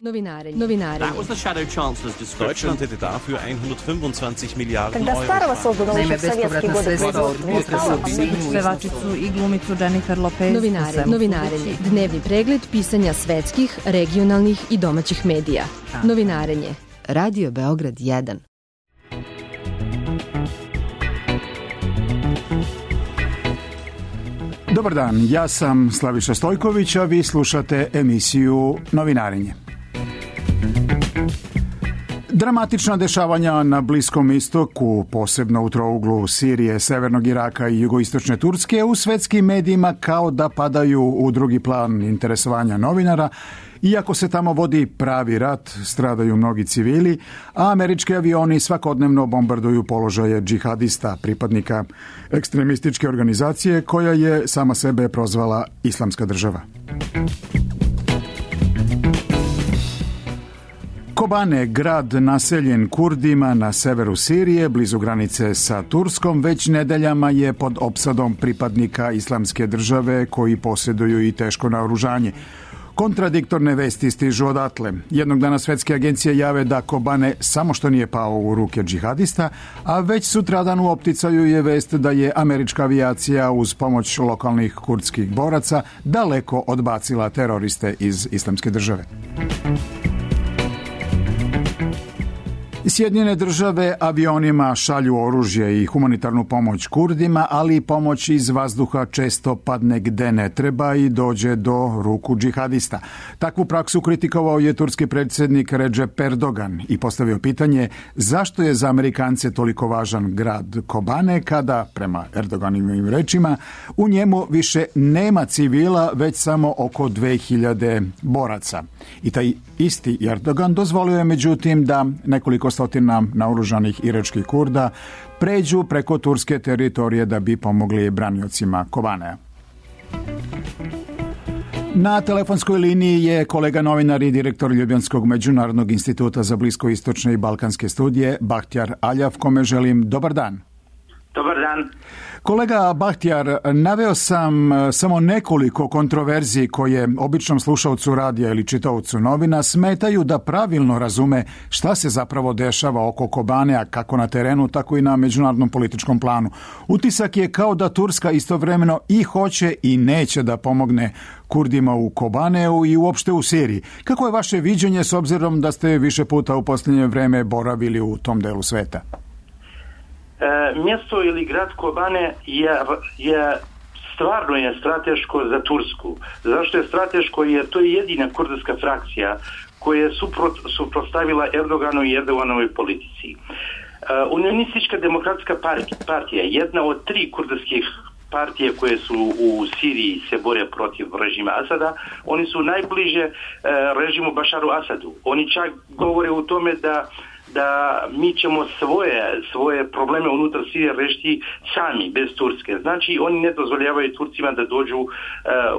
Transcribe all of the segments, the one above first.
Novinare. That was the Shadow Chancellor's description. Deutschland hätte dafür 125 Milijarden Когда старого создано еще в советские годы Pevačicu i glumicu Jennifer Lopez. Novinarenje. Dnevni pregled pisanja svetskih, regionalnih i domaćih medija. Novinarenje. Radio Beograd 1. Dobar dan, ja sam Slaviša Stojković, a vi slušate emisiju Novinarenje. Dramatična dešavanja na Bliskom istoku, posebno u trouglu Sirije, severnog Iraka i jugoistočne Turske, u svetskim medijima kao da padaju u drugi plan interesovanja novinara. Iako se tamo vodi pravi rat, stradaju mnogi civili, a američki avioni svakodnevno bombarduju položaje džihadista, pripadnika ekstremističke organizacije koja je sama sebe prozvala Islamska država. Kobane, grad naseljen Kurdima na severu Sirije, blizu granice sa Turskom, već nedeljama je pod opsadom pripadnika Islamske države koji posjeduju i teško naoružanje. Kontradiktorne vesti stižu odatle. Jednog dana svetske agencije jave da Kobane samo što nije pao u ruke džihadista, a već sutradan u opticaju je vest da je američka avijacija uz pomoć lokalnih kurdskih boraca daleko odbacila teroriste iz Islamske države. Sjedinjene države avionima šalju oružje i humanitarnu pomoć Kurdima, ali i pomoć iz vazduha često padne gde ne treba i dođe do ruku džihadista. Takvu praksu kritikovao je turski predsjednik Recep Erdogan i postavio pitanje zašto je za Amerikance toliko važan grad Kobane kada, prema Erdoganovim rečima, u njemu više nema civila, već samo oko 2000 boraca. I taj isti Erdogan dozvolio je međutim da nekoliko stotina naoružanih iračkih Kurda pređu preko turske teritorije da bi pomogli braniocima Kobanea. Na telefonskoj liniji je kolega novinar i direktor Ljubljanskog međunarodnog instituta za bliskoistočne i balkanske studije Bahtjar Aljav, kome želim dobar dan. Dobar dan. Kolega Bahtjar, naveo sam samo nekoliko kontroverziji koje običnom slušalcu radija ili čitaocu novina smetaju da pravilno razume šta se zapravo dešava oko Kobanea, kako na terenu, tako i na međunarodnom političkom planu. Utisak je kao da Turska istovremeno i hoće i neće da pomogne Kurdima u Kobaneu i uopšte u Siriji. Kako je vaše viđenje s obzirom da ste više puta u posljednje vreme boravili u tom delu sveta? Mjesto ili grad Kobane je stvarno je strateško za Tursku. Zašto je strateško? Jer to je jedina kurdska frakcija koja je suprotstavila Erdoganu i Erdoganovoj politici. Unionistička demokratska partija, jedna od 3 kurdskih partije koje su u Siriji se bore protiv režima Asada, oni su najbliže režimu Bašaru Asadu. Oni čak govore u tome da mi ćemo svoje probleme unutar Sirije rešiti sami, bez Turske. Znači, oni ne dozvoljavaju Turcima da dođu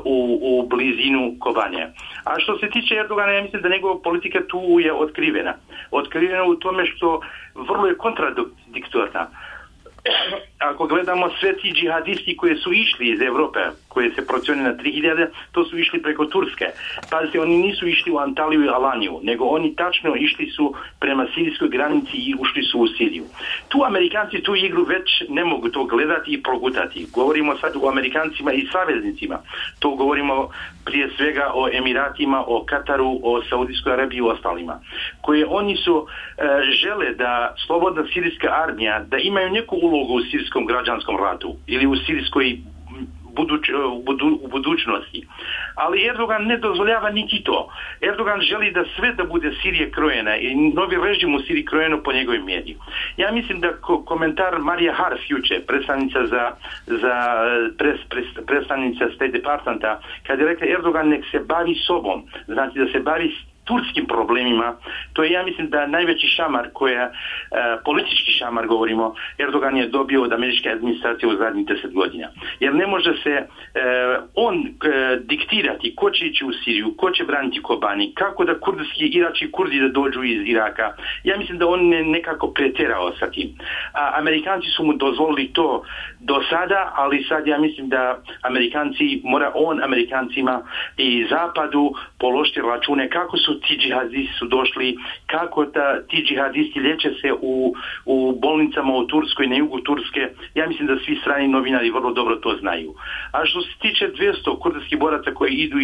u blizinu Kobanea. A što se tiče Erdogana, ja mislim da njegova politika tu je otkrivena. Otkrivena u tome što vrlo je kontradiktorna. Ako gledamo sve ti džihadisti koji su išli iz Evrope, koje se procjene na 3000, to su išli preko Turske. Pazite, oni nisu išli u Antaliju i Alaniju, nego oni tačno išli su prema sirijskoj granici i ušli su u Siriju. Tu Amerikanci tu igru već ne mogu to gledati i progutati. Govorimo sad o Amerikancima i saveznicima. To govorimo prije svega o Emiratima, o Kataru, o Saudijskoj Arabiji i ostalima. Koje oni su žele da slobodna sirijska armija, da imaju neku ulogu u sirijskom građanskom ratu ili u sirijskoj u budućnosti. Ali Erdogan ne dozvoljava niti to. Erdogan želi da sve da bude Sirije krojena i novi režim u Siriji krojeno po njegovoj mjeri. Ja mislim da komentar Marija Harf juče, predstavnica State Departmenta, kad je rekla Erdogan nek se bavi sobom, znači da se bavi turskim problemima, to je, ja mislim, da najveći šamar politički šamar govorimo, Erdogan je dobio od američke administracije u zadnjih 10 godina. Jer ne može se on diktirati ko će ići u Siriju, ko će braniti Kobani, kako da irački Kurdi da dođu iz Iraka. Ja mislim da on nekako pretjerao sa tim. A Amerikanci su mu dozvolili to do sada, ali sad ja mislim da Amerikancima i Zapadu položiti račune kako su ti džihadisti su došli, kako ti džihadisti liječe se u bolnicama u Turskoj, na jugu Turske. Ja mislim da svi strani novinari vrlo dobro to znaju. A što se tiče 200 kurdskih boraca koji idu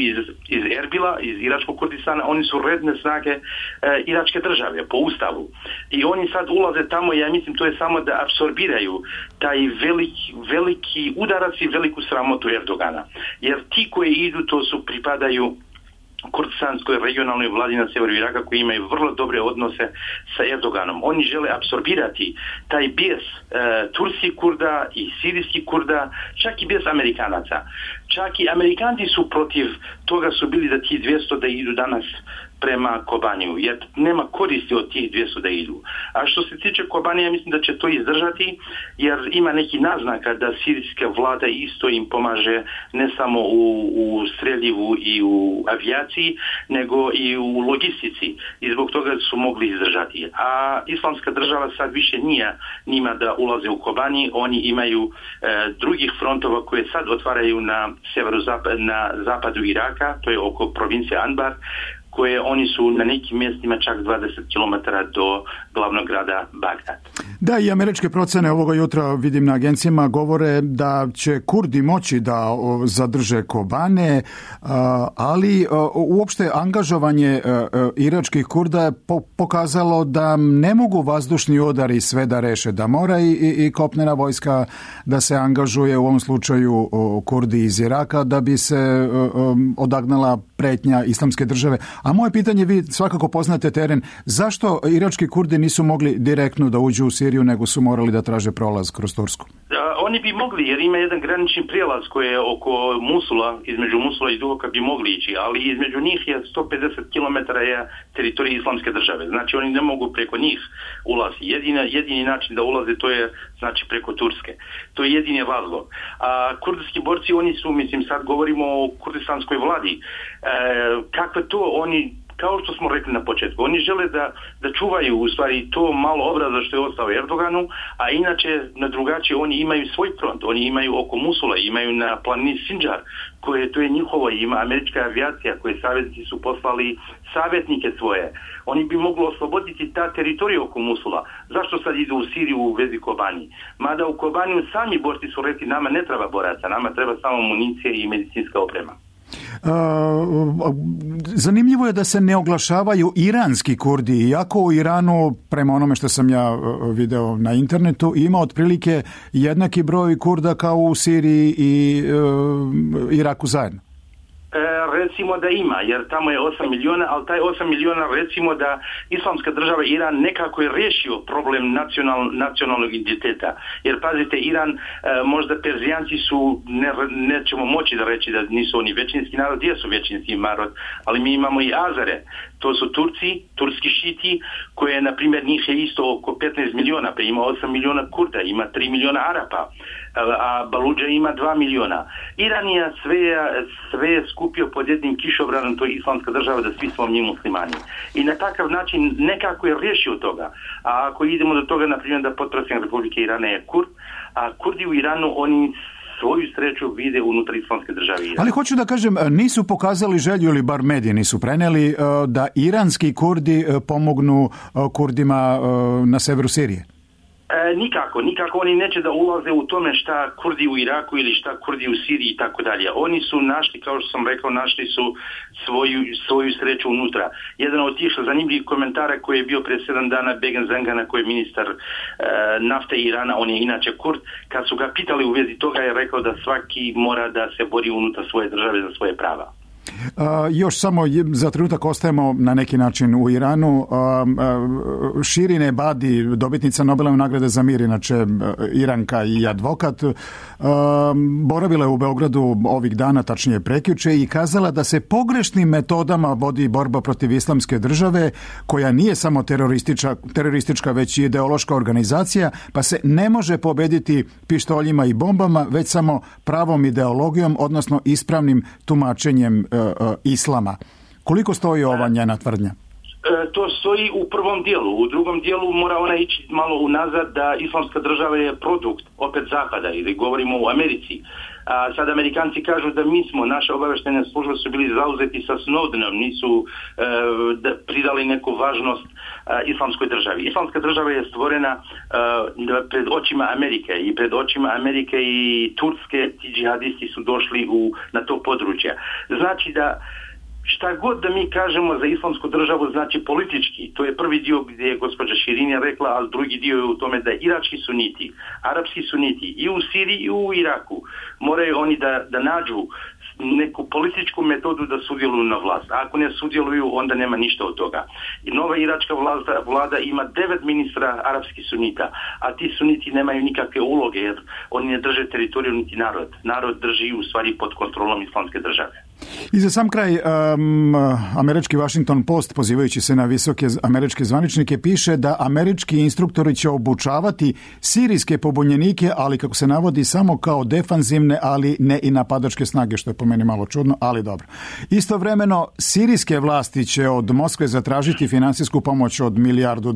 iz Erbila, iz iračkog Kurdistana, oni su redne snage iračke države po ustavu. I oni sad ulaze tamo, ja mislim to je samo da apsorbiraju taj veliki udarac i veliku sramotu Erdogana. Jer ti koji idu, to pripadaju kurdistanskoj regionalnoj vladi na severu Iraka koji imaju vrlo dobre odnose sa Erdoganom. Oni žele apsorbirati taj bijes turskih Kurda i sirijskih Kurda, čak i bijes Amerikanaca. Čak i Amerikanci su protiv toga su bili da ti 200 da idu danas prema Kobaniju, jer nema koristi od tih 200 da idu. A što se tiče Kobanija, mislim da će to izdržati, jer ima neki naznaka da sirijska vlada isto im pomaže ne samo u streljivu i u avijaciji, nego i u logistici. I zbog toga su mogli izdržati. A islamska država sad više nije njima da ulaze u Kobani, oni imaju drugih frontova koje sad otvaraju na zapadu Iraka, to je oko provincije Anbar, koje oni su na nekim mjestima čak 20 km do glavnog grada Bagdad. Da, i američke procene ovoga jutra vidim na agencijama govore da će Kurdi moći da zadrže Kobane, ali uopšte angažovanje iračkih Kurda je pokazalo da ne mogu vazdušni udari sve da reše, da mora i kopnena vojska da se angažuje, u ovom slučaju Kurdi iz Iraka, da bi se odagnala pretnja islamske države. A moje pitanje, vi svakako poznate teren, zašto irački Kurdi nisu mogli direktno da uđu u Siriju, nego su morali da traže prolaz kroz Tursku? Oni bi mogli, jer ima jedan granični prijelaz koji je oko Musula, između Musula i Duhoka bi mogli ići, ali između njih je 150 km je teritorij islamske države. Znači oni ne mogu preko njih ulazi. Jedini način da ulaze to je znači preko Turske. To je jedini razlog. A kurdski borci, oni su, mislim sad govorimo o kurdistanskoj vladi, kakve to oni, kao što smo rekli na početku, oni žele da čuvaju u stvari to malo obraza što je ostao Erdoganu, a inače na drugačije oni imaju svoj front, oni imaju oko Musula, imaju na planini Sinjar, to je njihovo, ima američka avijacija koje savjetnici su poslali savjetnike svoje. Oni bi mogli osloboditi ta teritorija oko Musula. Zašto sad idu u Siriju u vezi Kobani? Mada u Kobaniju sami borci su rekli nama ne treba boraca, nama treba samo municije i medicinska oprema. Zanimljivo je da se ne oglašavaju iranski Kurdi, iako u Iranu, prema onome što sam ja video na internetu, ima otprilike jednaki broj Kurda kao u Siriji i Iraku zajedno. Recimo da ima, jer tamo je 8 miliona, ali taj 8 miliona recimo da islamska država Iran nekako je riješio problem nacionalnog identiteta. Jer pazite, Iran, možda Perzijanci su, nećemo moći da reći da nisu oni većinski narod, jesu većinski narod, ali mi imamo i Azare. To su Turci, turski šiti, koje, na primjer, njih je isto oko 15 miliona, pa ima 8 miliona Kurda, ima 3 miliona Arapa, a Baludža ima 2 miliona. Iran je sve skupio pod jednim kišobranom, to je islamska država, da svi smo mi muslimani. I na takav način nekako je riješio toga. A ako idemo do toga, na primjer, da potpredsjednik Republike Irana je Kurd, a Kurdi u Iranu, oni svoju sreću vide unutar islamske države Irana. Ali hoću da kažem, nisu pokazali želju, ili bar mediji nisu preneli, da iranski Kurdi pomognu Kurdima na severu Sirije? Nikako oni neće da ulaze u tome šta Kurdi u Iraku ili šta Kurdi u Siriji i tako dalje. Oni su našli, kao što sam rekao, našli su svoju sreću unutra. Jedan od tih zanimljivih komentara koji je bio prije 7 dana Begen Zengana, koji je ministar nafte Irana, on je inače Kurd, kad su ga pitali u vezi toga je rekao da svaki mora da se bori unutar svoje države za svoje prava. Još samo za trenutak ostajemo na neki način u Iranu. Shirin Ebadi, dobitnica Nobelove nagrade za mir, inače Iranka i advokat, boravila je u Beogradu ovih dana, tačnije prekjuče, i kazala da se pogrešnim metodama vodi borba protiv islamske države, koja nije samo teroristička, već i ideološka organizacija, pa se ne može pobediti pištoljima i bombama, već samo pravom ideologijom, odnosno ispravnim tumačenjem islama. Koliko stoji ova njena tvrdnja? To stoji u prvom dijelu. U drugom dijelu mora ona ići malo unazad da Islamska država je produkt opet Zapada, ili govorimo o Americi. A sad Amerikanci kažu da naše obavještajne službe su bili zauzeti sa Snowdenom, nisu pridali neku važnost Islamskoj državi. Islamska država je stvorena pred očima Amerike i pred očima Amerike i Turske ti džihadisti su došli na to područje. Znači da šta god da mi kažemo za Islamsku državu znači politički, to je prvi dio gdje je gospođa Širinja rekla, ali drugi dio je u tome da irački suniti, arapski suniti i u Siriji i u Iraku moraju oni da nađu neku političku metodu da sudjeluju na vlast. A ako ne sudjeluju, onda nema ništa od toga. I nova iračka vlada ima 9 ministra arapskih sunita, a ti suniti nemaju nikakve uloge jer oni ne drže teritoriju niti narod. Narod drži u stvari pod kontrolom Islamske države. I za sam kraj, američki Washington Post, pozivajući se na visoke američke zvaničnike, piše da američki instruktori će obučavati sirijske pobunjenike, ali kako se navodi samo kao defanzivne, ali ne i napadačke snage, što je po meni malo čudno, ali dobro. Istovremeno, sirijske vlasti će od Moskve zatražiti finansijsku pomoć od $1 milijardu.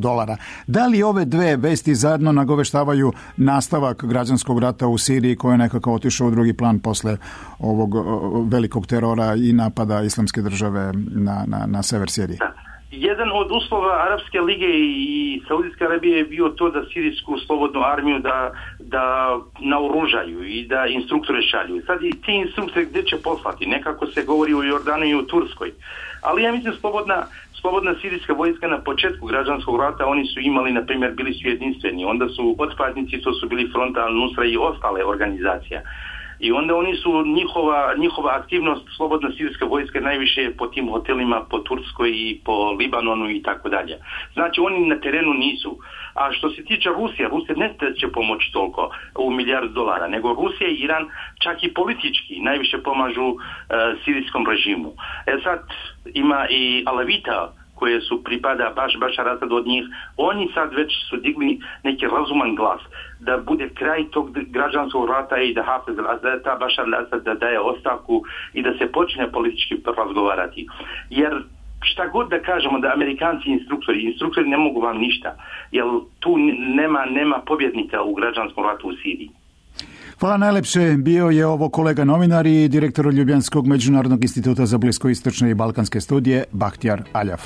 Da li ove dve vesti zajedno nagoveštavaju nastavak građanskog rata u Siriji, koji je nekako otišao u drugi plan posle ovog velikog terora i napada Islamske države na sever Sirije? Da. Jedan od uslova Arapske lige i Saudijske Arabije je bio to da sirijsku slobodnu armiju da naoružaju i da instruktore šalju. Sad i ti instruktore gdje će poslati? Nekako se govori u Jordanu i u Turskoj. Ali ja mislim slobodna sirijska vojska na početku građanskog rata, oni su imali, na primjer, bili su jedinstveni. Onda su otpadnici, to su bili Front al-Nusra i ostale organizacije. I onda oni su, njihova aktivnost slobodna sirijska vojska najviše po tim hotelima, po Turskoj i po Libanonu i tako dalje. Znači oni na terenu nisu. A što se tiče Rusije ne će pomoći toliko u $1 milijardu, nego Rusija i Iran čak i politički najviše pomažu sirijskom režimu. Sad ima i Alavita koje su pripada Bašar Asad od njih, oni sad već su digli neki razuman glas da bude kraj tog građanskog rata i da Hafez al-Assad, ta Bašar al-Assad da daje ostavku i da se počne politički razgovarati. Jer šta god da kažemo da Amerikanci instruktori ne mogu vam ništa, jer tu nema pobjednika u građanskom ratu u Siriji. Hvala najlepše. Bio je ovo kolega novinar i direktor Ljubljanskog međunarodnog instituta za bliskoistočne i balkanske studije Bahtjar Aljaf.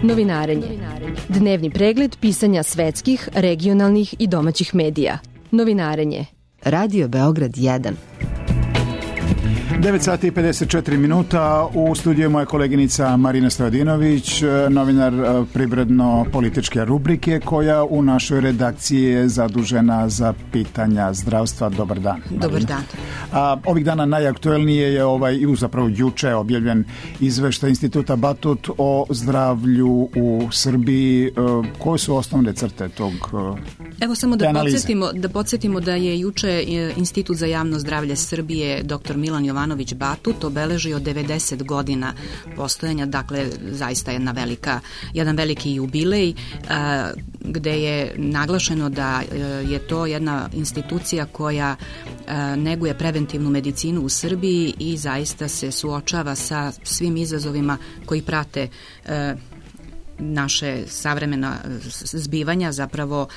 Novinarenje. Dnevni pregled pisanja svetskih, regionalnih i domaćih medija. Novinarenje. Radio Beograd 1. 9 sati i 54 minuta. U studiju moja koleginica Marina Stojadinović, novinar privredno-političke rubrike, koja u našoj redakciji je zadužena za pitanja zdravstva. Dobar dan, Marina. Dobar dan. Ovih dana najaktuelnije je zapravo juče objavljen izveštaj Instituta Batut o zdravlju u Srbiji. Koje su osnovne crte tog Evo samo da podsjetimo da je juče Institut za javno zdravlje Srbije dr. Milan Jovanović Batut obeležio 90 godina postojanja, dakle zaista jedan veliki jubilej gde je naglašeno da je to jedna institucija koja neguje preventivnu medicinu u Srbiji i zaista se suočava sa svim izazovima koji prate naše savremena zbivanja, zapravo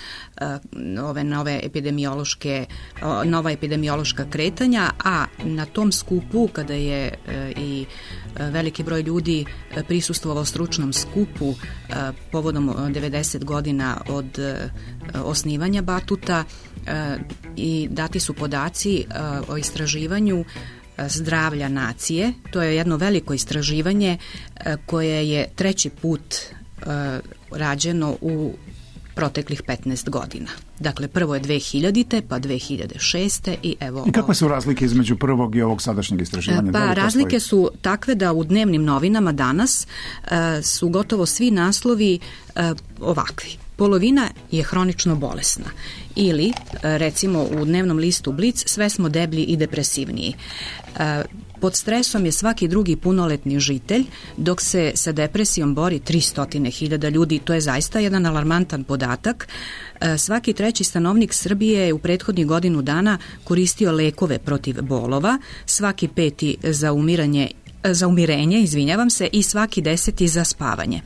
nova epidemiološka kretanja, a na tom skupu kada je i veliki broj ljudi prisustvovao stručnom skupu povodom 90 godina od osnivanja Batuta i dati su podaci o istraživanju zdravlja nacije. To je jedno veliko istraživanje koje je 3. put rađeno u proteklih 15 godina. Dakle, prvo je 2000. pa 2006. I evo... I kakve su razlike između prvog i ovog sadašnjeg istraživanja? Pa razlike su takve da u dnevnim novinama danas su gotovo svi naslovi ovakvi. Polovina je hronično bolesna. Ili, recimo, u dnevnom listu Blic, sve smo deblji i depresivniji. Pod stresom je svaki drugi punoletni žitelj, dok se sa depresijom bori 300.000 ljudi. To je zaista jedan alarmantan podatak. Svaki 3. stanovnik Srbije je u prethodnih godinu dana koristio lekove protiv bolova, svaki 5. za umirenje, i svaki 10. za spavanje.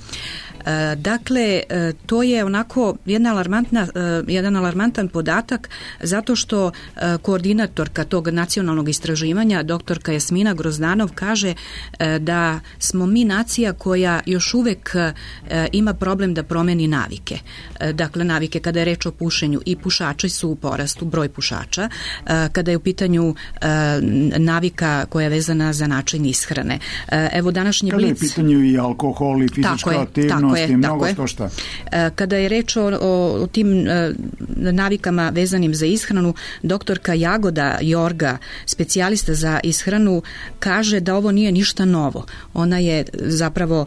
Dakle, to je onako jedan alarmantan podatak zato što koordinatorka tog nacionalnog istraživanja, doktorka Jasmina Grozdanov, kaže da smo mi nacija koja još uvek ima problem da promeni navike. Dakle, navike kada je reč o pušenju, i pušači su u porastu, broj pušača, kada je u pitanju navika koja je vezana za način ishrane. Evo, današnji Blic... Kada je u pitanju i alkohol i fizička aktivnost, Kada je reč o tim navikama vezanim za ishranu, doktorka Jagoda Jorga, specijalista za ishranu, kaže da ovo nije ništa novo. Ona je zapravo,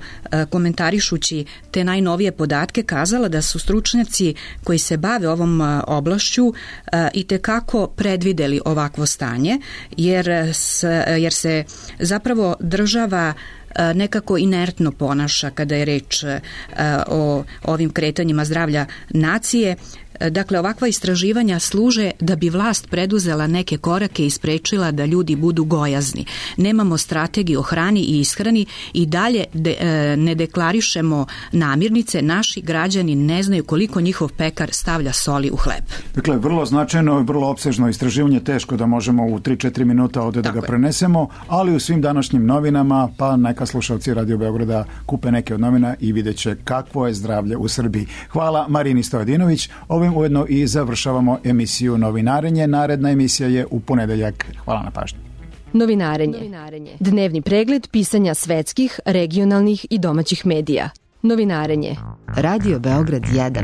komentarišući te najnovije podatke, kazala da su stručnjaci koji se bave ovom oblašću itekako predvideli ovakvo stanje, jer se zapravo država nekako inertno ponaša kada je reč o ovim kretanjima zdravlja nacije. Dakle, ovakva istraživanja služe da bi vlast preduzela neke korake i sprečila da ljudi budu gojazni. Nemamo strategiju o hrani i ishrani i dalje ne deklarišemo namirnice. Naši građani ne znaju koliko njihov pekar stavlja soli u hleb. Dakle, vrlo značajno i vrlo opsežno istraživanje, teško da možemo u 3-4 minuta ovde da ga prenesemo, ali u svim današnjim novinama, pa neka slušalci Radio Beograda kupe neke od novina i vidjet će kakvo je zdravlje u Srbiji. Hvala Marini Stojadinović. Ovim ujedno i završavamo emisiju Novinarenje. Naredna emisija je u ponedeljak. Hvala na pažnji. Novinarenje. Dnevni pregled pisanja svetskih, regionalnih i domaćih medija. Novinarenje. Radio Beograd 1.